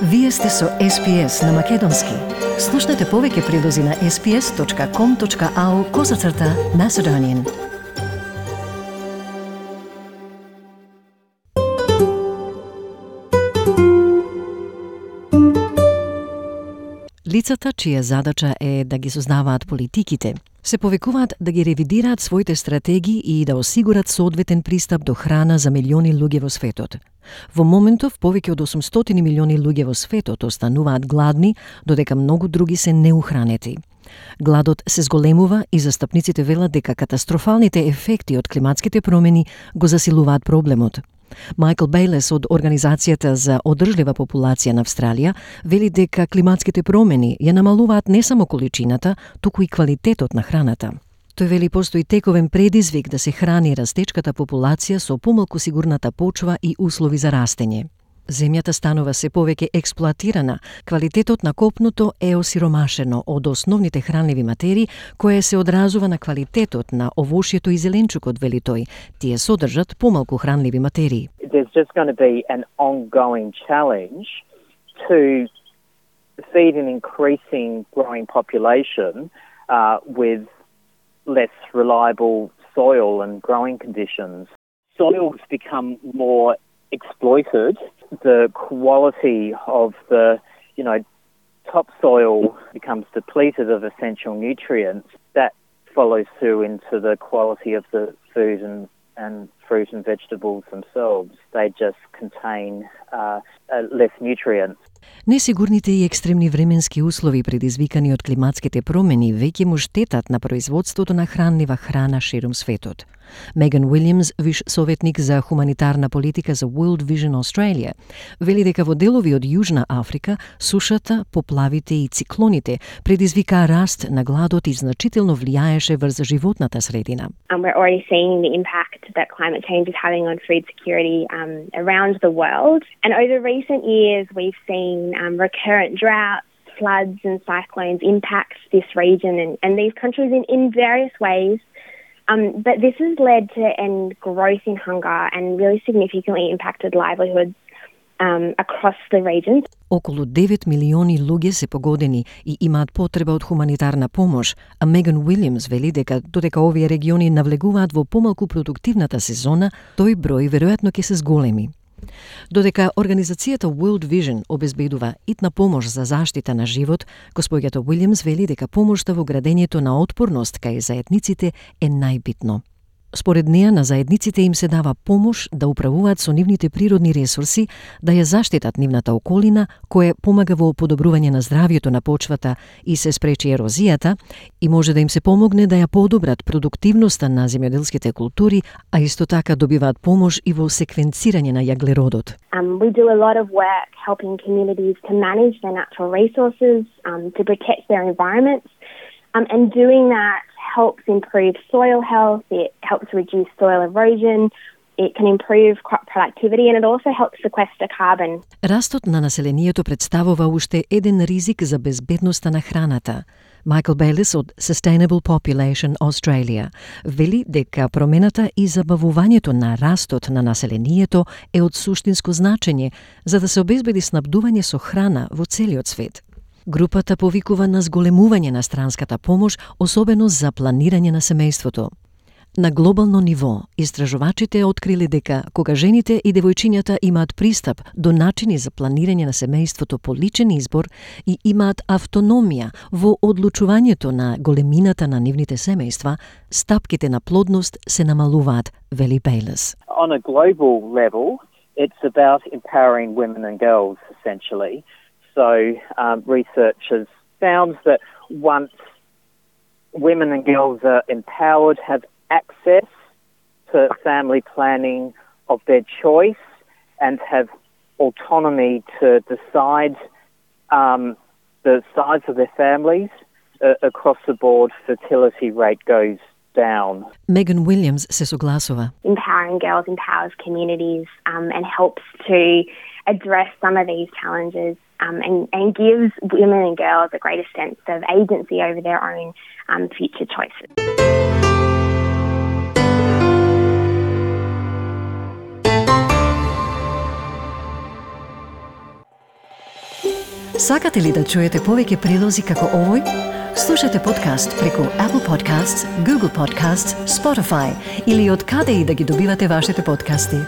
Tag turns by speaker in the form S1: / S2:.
S1: Вие сте со SPS на Македонски. Слушнете повеќе прилози на sps.com.au/Macedonian. Лицата, чија задача е да ги сознаваат политиките, се повикуваат да ги ревидираат своите стратегии и да осигурат соодветен пристап до храна за милиони луѓе во светот. Во моментов, повеќе од 800 милиони луѓе во светот остануваат гладни, додека многу други се неухранети. Гладот се зголемува и застапниците велат дека катастрофалните ефекти од климатските промени го засилуваат проблемот. Майкл Бејлес од Организацијата за одржлива популација на Австралија вели дека климатските промени ја намалуваат не само количината, туку и квалитетот на храната. Тој вели постои тековен предизвик да се храни растечката популација со помалку сигурната почва и услови за растење. Земјата станува се повеќе експлоатирана, квалитетот на копното е осиромашено од основните хранливи материи, кое се одразува на квалитетот на овошјето и зеленчукот, вели тој. Тие содржат помалку хранливи материи.
S2: There's just going to be an ongoing challenge to feed an increasing growing population with less reliable soil and growing conditions. Soils become more exploited. The quality of the, topsoil becomes depleted of essential nutrients. That follows through into the quality of the food and fruit and vegetables themselves. They just contain less nutrients.
S1: Несигурните и екстремни временски услови предизвикани од климатските промени веќе му штетат на производството на хранлива храна ширум светот. Меган Уилјамс, виш советник за хуманитарна политика за World Vision Australia, вели дека во делови од Јужна Африка сушата, поплавите и циклоните предизвикаа раст на гладот и значително влијаеше врз животната средина.
S3: We're already seeing the impact that climate change is having on food security around the world. And over recent years, we've seen recurrent droughts, floods and cyclones impact this region and these countries in various ways. But this has led to a growth in hunger and really significantly impacted livelihoods across the region.
S1: Околу 9 милиони луѓе се погодени и имаат потреба од хуманитарна помош, а Меган Уилјамс вели дека додека овие региони навлегуваат во помалку продуктивната сезона, тој број веројатно ќе се зголеми. Додека Организацијата World Vision обезбедува итна помош за заштита на живот, госпоѓата Уилјамс вели дека помошта во градењето на отпорност кај заедниците е најбитно. Според неа, на заедниците им се дава помош да управуваат со нивните природни ресурси, да ја заштитат нивната околина, кое помага во подобрување на здравјето на почвата и се спречи ерозијата, и може да им се помогне да ја подобрат продуктивноста на земјоделските култури, а исто така добиваат помош и во секвенцирање на јаглеродот.
S3: We do a lot of work helping communities to manage their natural resources, to protect their environments, and doing that helps improve soil health, it helps reduce soil erosion, it can improve crop productivity and it also helps sequester carbon.
S1: Растот на населението представува уште еден ризик за безбедноста на храната. Майкл Бејлес од Sustainable Population Australia вели дека промената и забавувањето на растот на населението е од суштинско значење за да се обезбеди снабдување со храна во целиот свет. Групата повикува на зголемување на странската помош, особено за планирање на семејството. На глобално ниво, истражувачите откриле дека кога жените и девојчињата имаат пристап до начини за планирање на семејството по личен избор и имаат автономија во одлучувањето на големината на нивните семејства, стапките на плодност се намалуваат, вели Бејлес.
S2: On a global level, it's about empowering women and girls, essentially. So research has found that once women and girls are empowered, have access to family planning of their choice and have autonomy to decide the size of their families, across the board fertility rate goes down.
S1: Меган Уилјамс се согласува.
S3: Empowering girls empowers communities and helps to address some of these challenges and gives women and girls a greater sense of agency over their own future choices.
S1: Сакате ли да чуете повеќе прилози како овој? Слушате подкаст преку Apple Podcasts, Google Podcasts, Spotify или од каде и да ги добивате вашите подкасти.